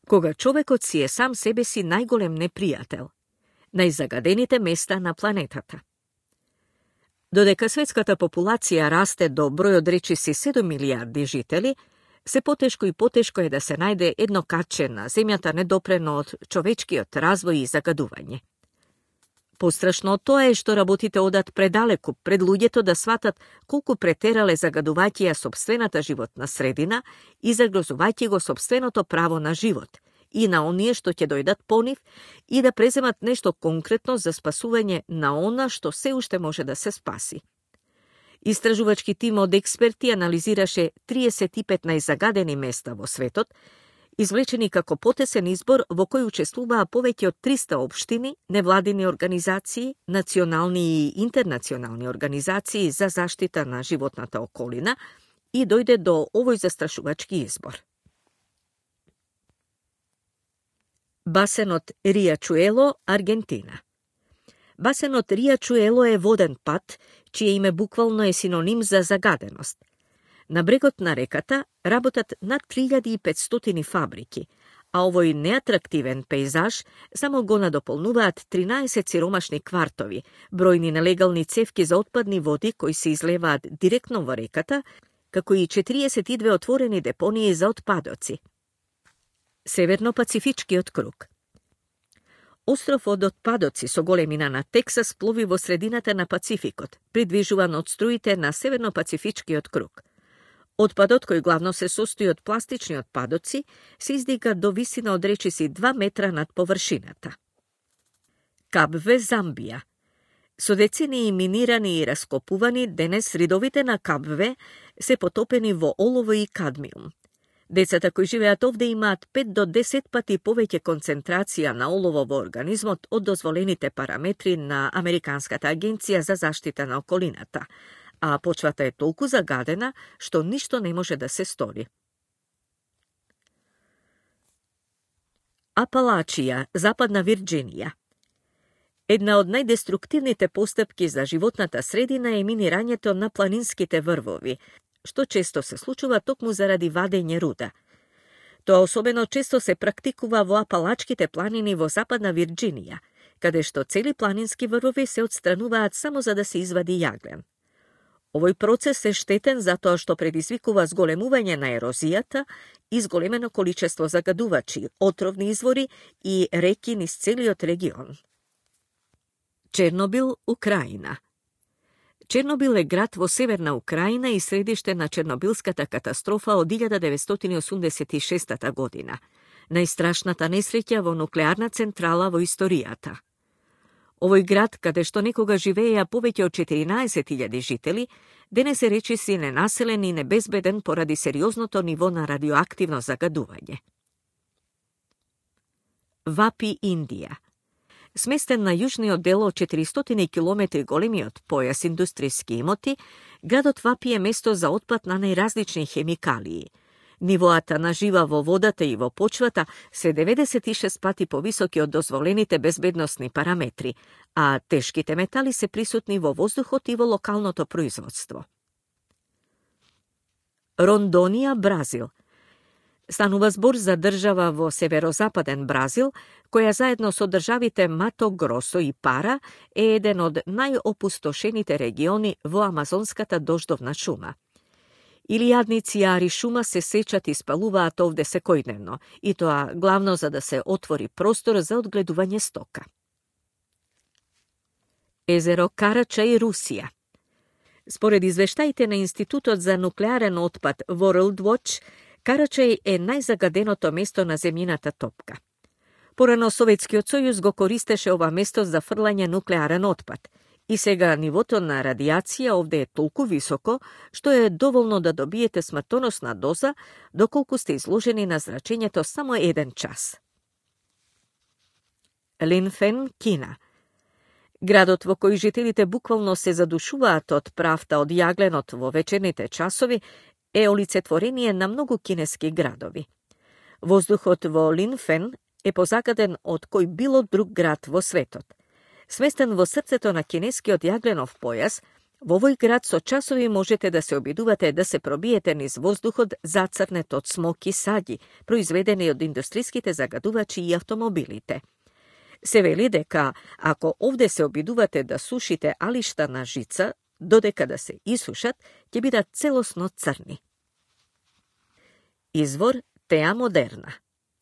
кога човекот си е сам себе си најголем непријател, најзагадените места на планетата. Додека светската популација расте до број од речиси 7 милиарди жители, се потешко и потешко е да се најде едно катче на земјата недопрено од човечкиот развој и загадување. Пострашно од тоа е што работите одат предалеку пред луѓето да сватат колку претерале загадувајќи ја сопствената животна средина и загрозувајќи го сопственото право на живот и на оние што ќе дојдат по нив и да преземат нешто конкретно за спасување на она што се уште може да се спаси. Истражувачки тим од експерти анализираше 35 најзагадени места во светот, извлечени како потесен избор во кој учествуваа повеќе од 300 општини, невладини организации, национални и интернационални организации за заштита на животната околина и дојде до овој застрашувачки избор. Басенот Риачуело, Аргентина. Басенот Риачуело е воден пат, чие име буквално е синоним за загаденост. На брегот на реката работат над 3500 фабрики, а овој неатрактивен пейзаж само го надополнуваат 13 сиромашни квартови, бројни нелегални цевки за отпадни води кои се излеваат директно во реката, како и 42 отворени депонии за отпадоци. Северно-пацифичкиот круг. Остров од отпадоци со големина на Тексас плови во средината на Пацификот, придвижуван од струите на Северно-пацифичкиот круг. Отпадот, кој главно се состои од пластични отпадоци, се издига до висина од речиси 2 метра над површината. Кабве, Замбија. Со децении минирани и раскопувани, денес ридовите на Кабве се потопени во олово и кадмиум. Децата кои живеат овде имаат 5 до 10 пати повеќе концентрација на олово во организмот од дозволените параметри на Американската агенција за заштита на околината, а почвата е толку загадена што ништо не може да се стори. Апалачија, Западна Вирџинија. Една од најдеструктивните постапки за животната средина е минирањето на планинските врвови, што често се случува токму заради вадење руда. Тоа особено често се практикува во Апалачките планини во Западна Вирџинија, каде што цели планински врвови се отстрануваат само за да се извади јаглен. Овој процес е штетен затоа што предизвикува зголемување на ерозијата и зголемено количество загадувачи, отровни извори и реки низ целиот регион. Чернобил, Украина. Чернобил е град во северна Украина и средиште на Чернобилската катастрофа од 1986 година, најстрашната несреќа во нуклеарна централа во историјата. Овој град, каде што некога живееја повеќе од 14.000 жители, денес е речиси ненаселен и небезбеден поради сериозното ниво на радиоактивно загадување. Вапи, Индија. Сместен на јужниот дел од 400 километри големиот појас индустријски имоти, градот Вапи е место за отпад на најразлични хемикалии. Нивоата на жива во водата и во почвата се 96 пати повисоки од дозволените безбедносни параметри, а тешките метали се присутни во воздухот и во локалното производство. Рондонија, Бразил. Станува збор за држава во северозападен Бразил, која заедно со државите Мато Гросо и Пара е еден од најопустошените региони во амазонската дождовна шума. Илијадници јари шума се сечат и спалуваат овде секојдневно, и тоа главно за да се отвори простор за одгледување стока. Езеро Карачај, Русија. Според извештаите на Институтот за нуклеарен отпад World Watch, Карачај е најзагаденото место на земјината топка. Порано Советскиот сојуз го користеше ова место за фрлање нуклеарен отпад, и сега нивото на радиација овде е толку високо, што е доволно да добиете смртоносна доза, доколку сте изложени на зрачењето само 1 час. Линфен, Кина. Градот во кој жителите буквално се задушуваат од правта од јагленот во вечерните часови е олицетворение на многу кинески градови. Воздухот во Линфен е позагаден од кој било друг град во светот. Сместен во срцето на кинескиот јагленов појас, Во овој град со часови можете да се обидувате да се пробиете низ воздухот зацрнет од смок и саѓи, произведени од индустриските загадувачи и автомобилите. Се вели дека ако овде се обидувате да сушите алишта на жица, додека да се исушат, ќе бидат целосно црни. Извор Теа Модерна.